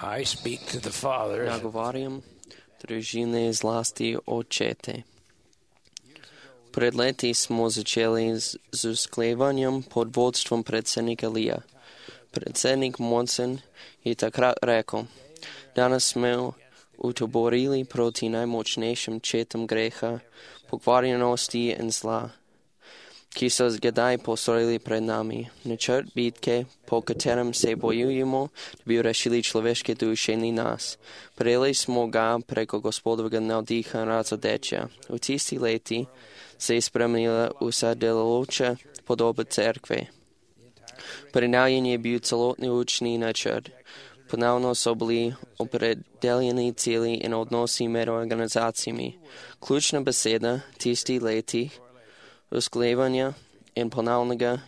I speak to the fathers. Nagovarjam družine zlasti očete. Pred leti smo začeli z usklevanjem pod vodstvom predsednika Lija. Predsednik Monson je takrat rekel, danes smo utoborili proti najmočnejšim četam greha, pokvarjenosti in zla, ki so zgodaj postorili pred nami. Načrt bitke, po katerem se bojujemo, da bi rešili človeške duše in nas. Prejeli smo ga preko Gospodovega navdiha in razodečja. V tisti leti se je spremenila vsa delujoča podoba cerkve. Prenavljen je bil celotni učni načrt. Ponovno so bili opredeljeni cilji in odnosi med organizacijami. Ključna beseda tisti leti usklajevanja in ponovnega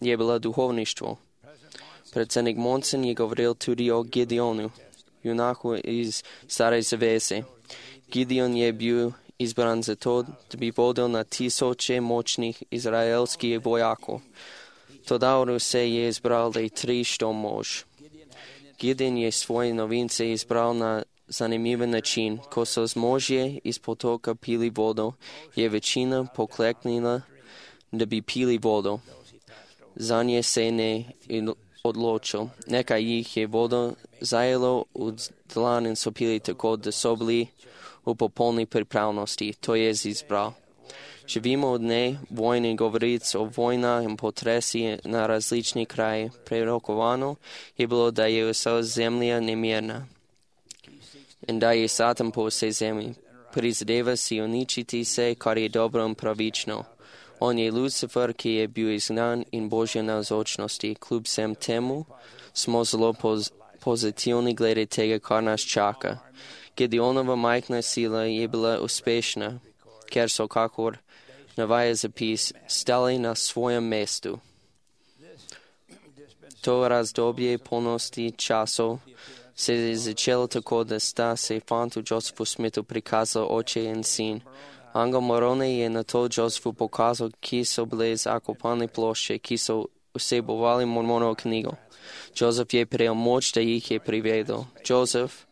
je bila duhovništvo. Predsednik Monson je govoril tudi o Gideonu, junaku iz Stare zaveze. Gideon je bil izbran zato, da bi vodil na tisoče močnih izraelskih vojakov. Toda se je izbral le 300 mož. Gideon je svoje novince izbral na zanimiv način. Ko so zmožje iz potoka pili vodo, je večina pokleknila, da bi pili vodo. Zanje se ne odločil. Nekaj jih je vodo zajelo v dlan in so pili tako, da so bili v popolni pripravnosti. To je izbral. Živimo od dne vojne govoric o vojna in potresi na različni kraji. Prerokovano je bilo, da je vsa zemlja nemirna in da je Satan po vsej zemlji. Prizadeva si uničiti se, kar je dobro in pravično. On je Lucifer, ki je bil izgnan in Božje navzočnosti. Kljub vsem temu smo zelo pozitivni glede tega, kar nas čaka. Gideonova majhna sila je bila uspešna, ker so, kakor navaja zapis, stali na svojem mestu. To razdobje polnosti časov se je začelo tako, da sta se fantu Josephu Smithu prikazali oče in sin. Angel Moroni je na to Josephu pokazal, ki so bile zakopane plošče, ki so vsebovali Mormonovo knjigo. Joseph je prejel moč, da jih je privedel. Joseph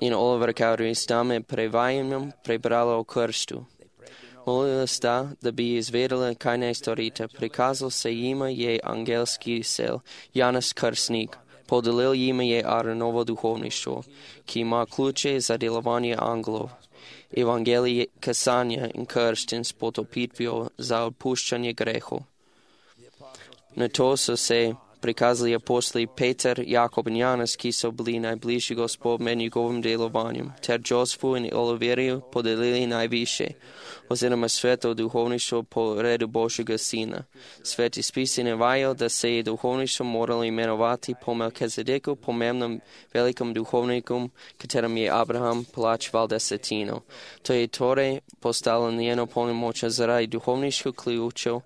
in Oliver Cowdery sta med prevajanjem prebrala o krstu. Molila sta, da bi izvedela, kaj naj storita. Prikazal se jima je angelski sel, Janez Krstnik. Podelil jima je Aaronovo duhovništvo, ki ima ključe za delovanje angelov. Evangelije kasanja in krst in s potopitvijo za odpuščanje grehov. Na to so se prikazali apostoli Peter, Jakob in Janez, ki so bili najbližji Gospod med njegovim delovanjem, ter Josephu in Oliverju podelili najviše, oziroma sveto duhovništvo po redu Božjega sina. Sveti spisi navajajo, da se je duhovništvo moralo imenovati po Melkizedeku, pomembnem velikom duhovniku, katerem je Abraham plačeval desetino. To je torej postalo njeno polnomočje zaradi duhovniških ključev,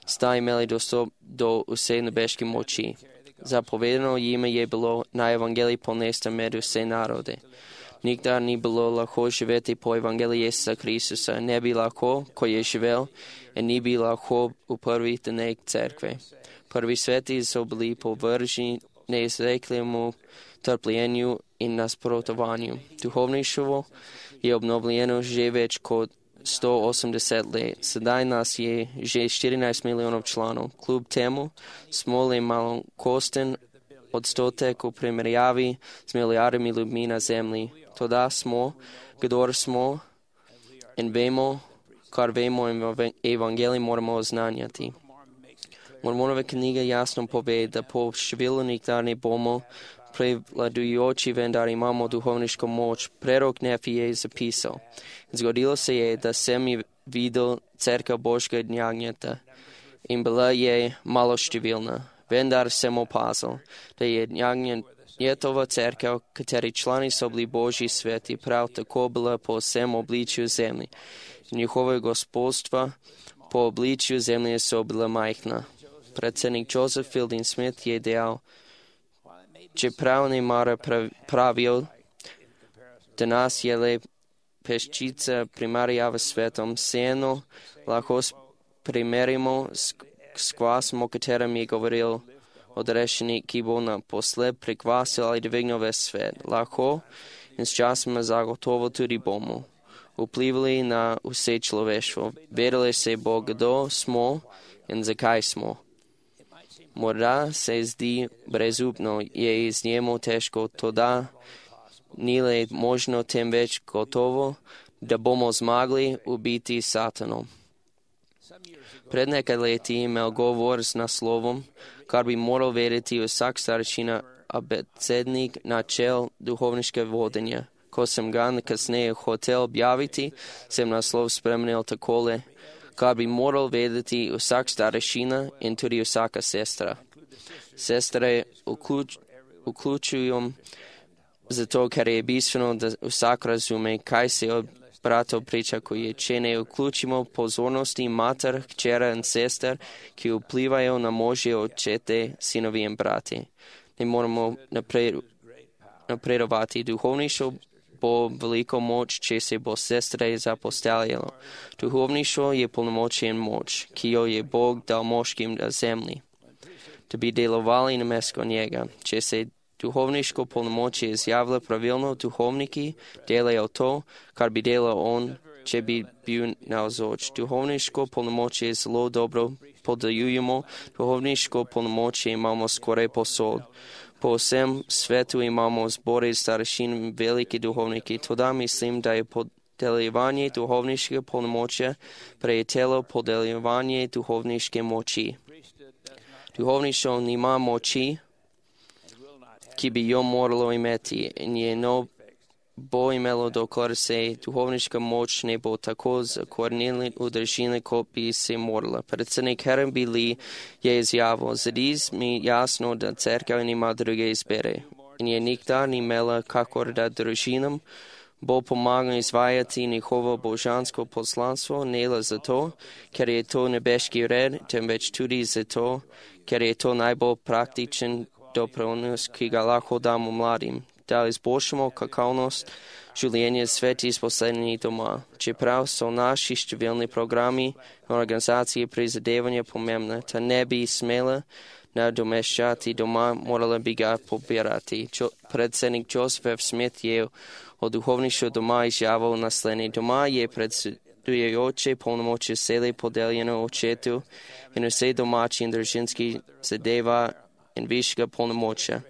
sta imeli dostop do vse nebeške moči. Zapovedano jima je bilo na evangeliji ponesti med vse narode. Nikdar ni bilo lahko živeti po evangeliji Jezusa Kristusa, ne bi lahko, ko je živel, in ni bi lahko v prvih dneh cerkve. Prvi sveti so bili povrženi neizrekljivemu trpljenju in nasprotovanju. Duhovništvo je obnovljeno že več kot 180 let. Sedaj nas je že 14 milijonov članov. Kljub temu smo le malokosten odstotek v primerjavi z milijardami ljudmi na zemlji. Toda smo, kdor smo in vemo, kar vemo in evangelij moramo oznanjati. Mormonova knjiga jasno pove, da po številu nikdar ne bomo prevladujoči, vendar imamo duhovniško moč. Prerok Nefi je zapisal. Zgodilo se je, da sem videl cerkev Božjega jagnjeta in bila je maloštevilna. Vendar sem opazil, da je jagnjetova cerkev, kateri člani so bili Božji sveti, prav tako bila po vsem obličju zemlji. Njihove gospodstva po obličju zemlje so bila majhna. Predsednik Joseph Fielding Smith je dejal, čeprav ne mara pravijo, da nas je le peščica primerjava s svetom, vseeno lahko primerjamo s kvasom, o katerem je govoril Odrešenik, ki bo naposled prikvasil ali dvignil ves svet. Lahko in s časoma zagotovo tudi bomo vplivali na vse človeštvo. Vedeli se bo, kdo smo in zakaj smo. Morda se zdi brezupno, je iz njemu težko, toda ni le možno, temveč gotovo, da bomo zmagli ubiti Satanom. Pred nekaj leti imel govor z naslovom, kar bi moral vedeti vsak starešina, abecednik načel duhovniške vodenja. Ko sem ga kasneje hotel objaviti, sem naslov spremenil takole, kar bi moral vedeti vsak starešina in tudi vsaka sestra. Sestre vključujem zato, ker je bistveno, da vsak razume, kaj se od bratov pričakuje. Če ne vključimo pozornosti mater, hčera in sester, ki vplivajo na možje očete, sinovi in brati. Ne moramo napredovati. Duhovništvo bo veliko moč, če se bo sestre zapostavljalo. Duhovništvo je polnomočje in moč, ki jo je Bog dal moškim na zemlji, da bi delovali namesto njega. Če se duhovniško polnomočje izjavlja pravilno, duhovniki delajo to, kar bi delal on, če bi bil navzoč. Duhovniško polnomočje je zelo dobro podeljujemo. Duhovniško polnomočje imamo skoraj posod. Po vsem svetu imamo zbore starešin in veliki duhovniki. Toda mislim, da je podeljevanje duhovniškega polnomočja prejelo podeljevanje duhovniške moči. Duhovništvo nima moči, ki bi jo moralo imeti, in je bo imelo, dokler se duhovniška moč ne bo tako zakorenila v držini, kot bi se morala. Predsednik Harry Lee je izjavil, zdi mi jasno, da cerkev nima druge izbere in je nikdar ni imela, kakor da družinam bo pomagala izvajati njihovo božansko poslanstvo, ne le zato, ker je to nebeški red, temveč tudi zato, ker je to najbolj praktičen doprinos, ki ga lahko damo mladim, da izboljšamo kakovnost življenja svetih poslednjih doma. Čeprav so naši številni programi in organizacije prizadevanja pomembne, ta ne bi smela nadomeščati doma, morala bi ga pobirati. Predsednik Joseph F. Smith je o duhovništvu doma izjavil naslednje. Doma je predsedujoče polnomočje sele podeljeno očetu in vse domači in družinski zadeva in višjega polnomočja.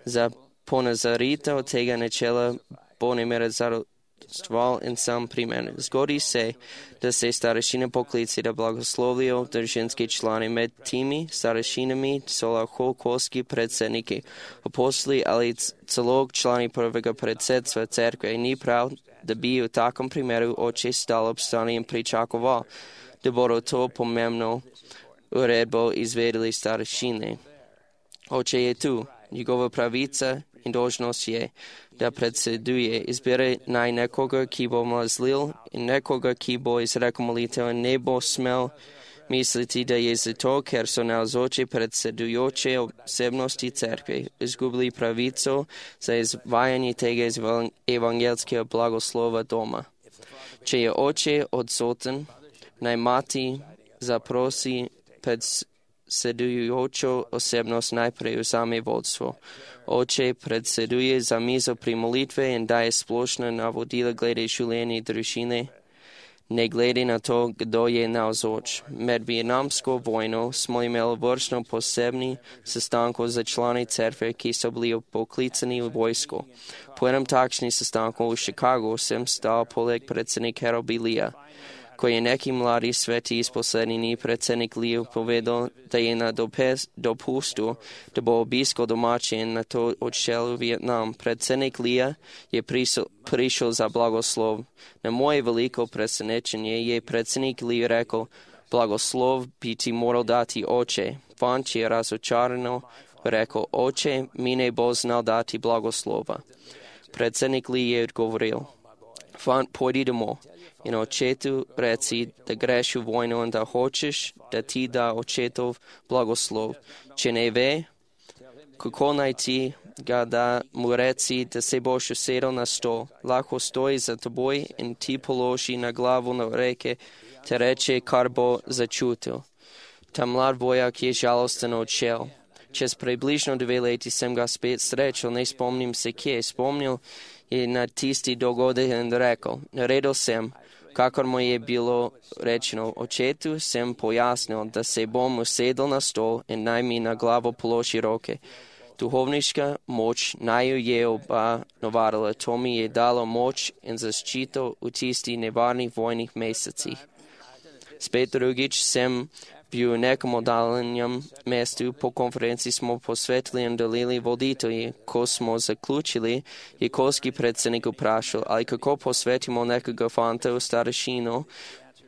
Za ponazoritev tega načela bo nemere zadostoval in sam primer. Zgodi se, da se starešine poklici, da blagoslovijo družinski člani. Med temi starešinami so lahko kolski predsedniki, apostoli ali celo člani prvega predsedstva cerkve. Ni prav, da bi v takem primeru oče stal ob strani in pričakoval, da bodo to pomembno uredbo izvedeli starešine. Oče je tu, njegova pravica in dolžnost je, da predseduje. Izbere naj nekoga, ki bo mazlil in nekoga, ki bo izrekel molitev in ne bo smel misliti, da je zato, ker so navzoči predsedujoče osebnosti cerkve izgubili pravico za izvajanje tega evangelskega blagoslova doma. Če je oče odsoten, naj mati zaprosi predsedujočo osebnost najprej vzame vodstvo. Oče predseduje za mizo pri molitve in daje splošna navodila glede življenja družine, ne glede na to, kdo je navzoč. Med vietnamsko vojno smo imeli vrsto posebnih sestankov za člani cerkve, ki so bili poklicani v vojsko. Po enem takšnem sestanku v Chicagu sem stal poleg predsednika Harry B. Leeja. Ko je neki mladi sveti iz poslednjih dni predsednik Lee povedal, da je na dopustu, da bo obiskal domače in na to odšel v Vietnam. Predsednik Lee je prišel za blagoslov. Na moje veliko presenečenje je predsednik Lee rekel, blagoslov bi ti moral dati oče. Fant je razočarano rekel, oče mi ne bo znal dati blagoslova. Predsednik Lee je odgovoril, fant, pojdi domov in očetu reci, da greš v vojno in da hočeš, da ti da očetov blagoslov. Če ne ve, kako naj ti ga da, mu reci, da se boš usedel na stol, lahko stoji za teboj in ti položi na glavo na reke, te reče, kar bo začutil. Ta mlad vojak je žalosten odšel. Čez približno 2 leti sem ga spet srečal, ne spomnim se kje. Spomnil je na tisti dogodek in rekel, naredil sem, kakor mu je bilo rečeno. Očetu sem pojasnil, da se bom usedel na stol in naj mi na glavo položi roke. Duhovniška moč naju je oba navadila, to mi je dalo moč in zaščito v tistih nevarnih vojnih mesecih. Spet drugič sem bil v nekom oddaljenem mestu, po konferenci smo posvetili in delili voditelji. Ko smo zaključili, je kolski predsednik vprašal, ali kako posvetimo nekega fanta v starešino,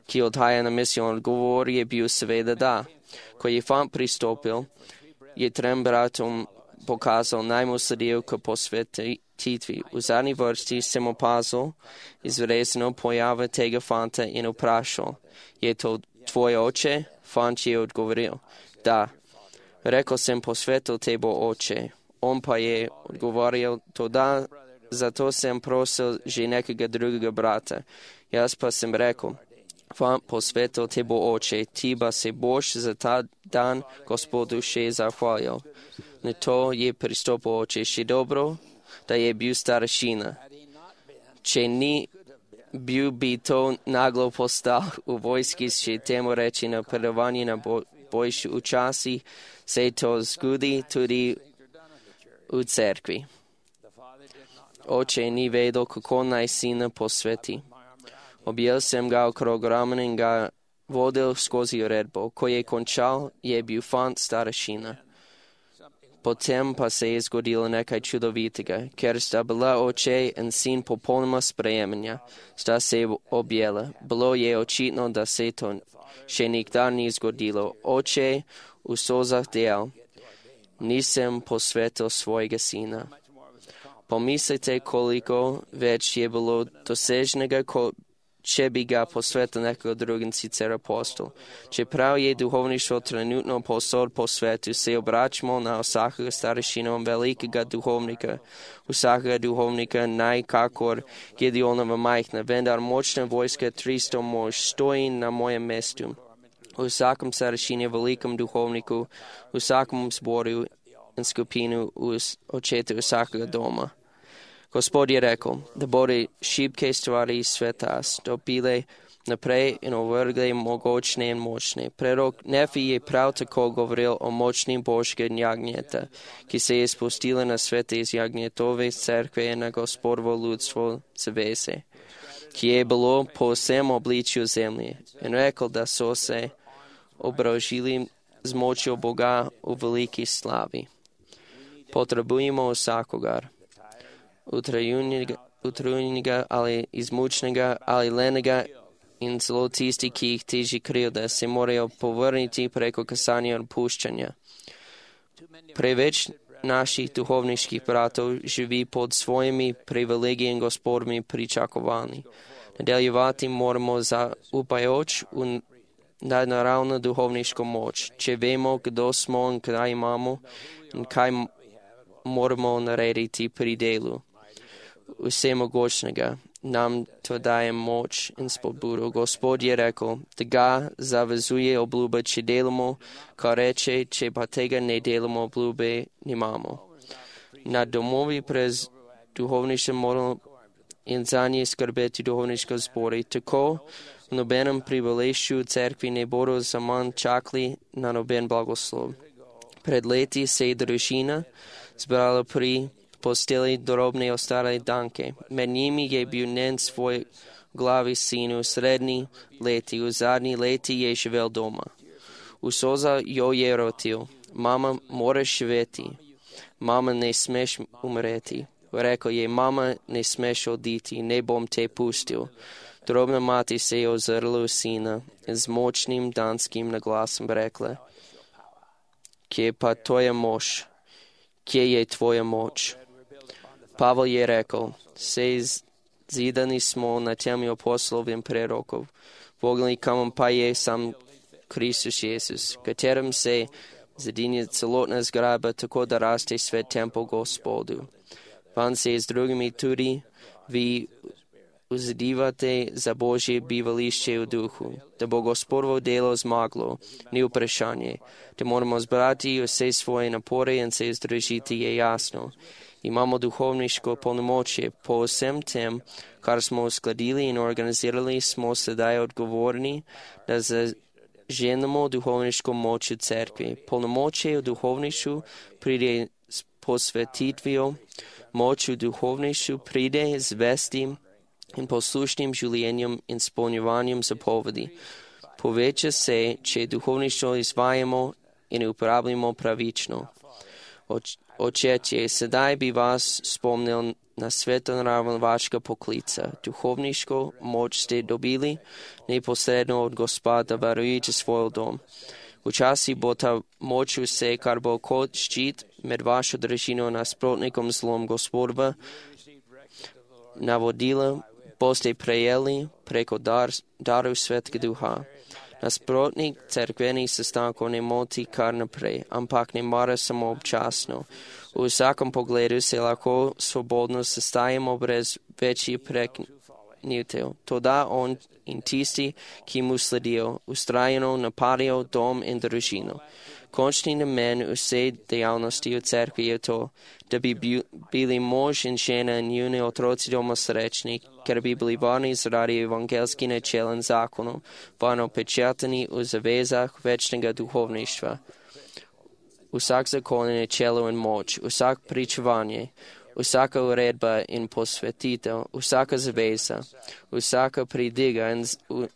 ki odhaja na misijon. Odgovor je bil seveda da. Ko je fant pristopil, je trem bratom pokazal, naj mu sledijo k posvetitvi. V zadnji vrsti sem opazil izrezano pojave tega fanta in vprašal, je to tvoj oče? Fant je odgovoril, da. Rekel sem, posvetil te bo oče. On pa je odgovoril, to da, zato sem prosil že nekega drugega brata. Jaz pa sem rekel, fant, posvetil te bo oče, ti pa se boš za ta dan Gospodu še zahvalil. Na to je pristopil oče, še dobro, da je bil starešina. Če ni bil bi to naglo postal v vojski, še temu reči napredovanje na boljši. Včasih se to zgodi tudi v cerkvi. Oče ni vedel, kako naj sina posveti. Objel sem ga okrog ramen in ga vodil skozi uredbo. Ko je končal, je bil fant starešina. Potem pa se je zgodilo nekaj čudovitega, ker sta bila oče in sin popolnoma sprejemanja, sta se objela. Bilo je očitno, da se to še nikdar ni zgodilo. Oče v solzah dejal, nisem posvetil svojega sina. Pomislite, koliko več je bilo doseženega, če bi ga posvetil nekega drugega, sicer apostol. Čeprav je duhovništvo trenutno povsod po svetu, se obračamo na vsakega starešina velikega duhovnika. Vsakega duhovnika naj kakor Gideonova majhna, vendar močna vojska 300 mož stoji na mojem mestu. V vsakem starešini, velikem duhovniku, v vsakem zboru in skupinu v očetu vsakega doma. Gospod je rekel, da bodo šibke stvari iz sveta stopile naprej in ovrgle mogočne in močne. Prerok Nefi je prav tako govoril o močnim božke jagnjeta, ki se je spustila na svet iz jagnjetove cerkve na Gospodovo ljudstvo zavese, ki je bilo po vsem obličju zemlje, in rekel, da so se obrožili z močjo Boga v veliki slavi. Potrebujemo vsakogar. Utrujnega ali izmučnega ali lenega in celo tisti, ki jih teži krivda, se morajo povrniti preko kasanja in puščanja. Preveč naših duhovniških bratov živi pod svojimi privilegiji in Gospodovimi pričakovanji. Nadaljevati moramo zaupajoč v nadnaravno duhovniško moč, če vemo, kdo smo in kaj imamo in kaj moramo narediti pri delu vsemogočnega. Nam to daje moč in spodbudo. Gospod je rekel, da ga zavezuje obljuba, če delamo, kar reče, če pa tega ne delamo, obljube nimamo. Na domovi prez duhovništvo moramo in za nje skrbeti duhovniško zbori. Tako v nobenem priviležju v cerkvi ne bodo zaman čakali na noben blagoslov. Pred leti se je družina zbrala pri posteli drobne ostale danke. Med njimi je bil njen svoj glavi sin v srednji leti, v zadnji leti je živel doma. V soza jo je rotil, mama, moraš živeti, mama, ne smeš umreti. Rekel je, mama, ne smeš oditi, ne bom te pustil. Drobna mati se je ozrla v sina in z močnim danskim naglasom rekla, kje pa tvoja moč? Kje je tvoja moč? Pavel je rekel, zidani smo na temelju apostolov in prerokov, voglni kamen pa je sam Kristus Jezus, katerem se zadinja celotna zgradba, tako da raste svet tempel Gospodu. Van se z drugimi tudi vi uzidivate za Božje bivališće u duhu, da bo Gospodovo delo zmaglo, ni vprašanje. Da moramo zbrati vse svoje napore in se združiti je jasno. Imamo duhovniško polnomočje. Po vsem tem, kar smo uskladili in organizirali, smo sedaj odgovorni, da zaženemo duhovniško moč v cerkvi. Polnomočje v duhovništvu pride s posvetitvijo, moč v duhovništvu pride z vestim in poslušnim življenjem in spolnjevanjem zapovedi. Poveča se, če duhovništvo izvajamo in uporabljamo pravično. Očetje, sedaj bi vas spomnil na svetonaraven vašega poklica. Duhovniško moč ste dobili neposredno od Gospoda, varujete svoj dom. Včasih bo ta moč vse, kar bo kot ščit med vašo družino nasprotnikom zlom Gospodova. Navodila boste prejeli preko daru Svetega Duha. Nasprotnik cerkvenih sestankov ne moti kar naprej, ampak ne mora samo občasno. V vsakem pogledu se lahko svobodno sestajamo brez večjih preknitev. Toda on in tisti, ki mu sledijo, ustrajeno napadajo dom in družino. Končni namen vse dejavnosti v cerkvi je to, da bi bili mož in žena in njuni otroci doma srečni, ker bi bili varni zaradi evangelskih načel in zakonov, varno pečatani v zavezah večnega duhovništva. Vsak zakon in načelo in moč, vsak pričevanje, vsaka uredba in posvetitev, vsaka zaveza, vsaka pridiga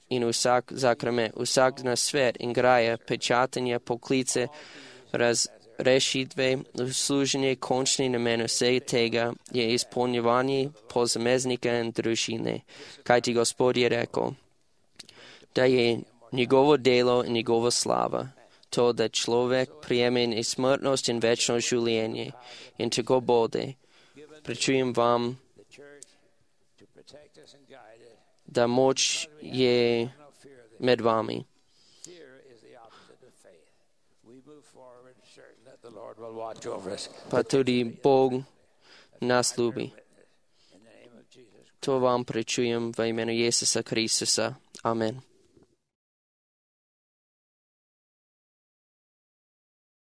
in vsak zakrament, vsak nasvet in graja, pečatanje, poklice, razrešitve, služenje, končni namen vsega tega je izpolnjevanje posameznika in družine. Kajti Gospod je rekel, da je njegovo delo in njegova slava, to, da človek prijeme nesmrtnost in večno življenje, in tako bode. Pričujem vam, da moč je med vami. Pa tudi Bog nas ljubi. To vam pričujem v imenu Jezusa Kristusa. Amen.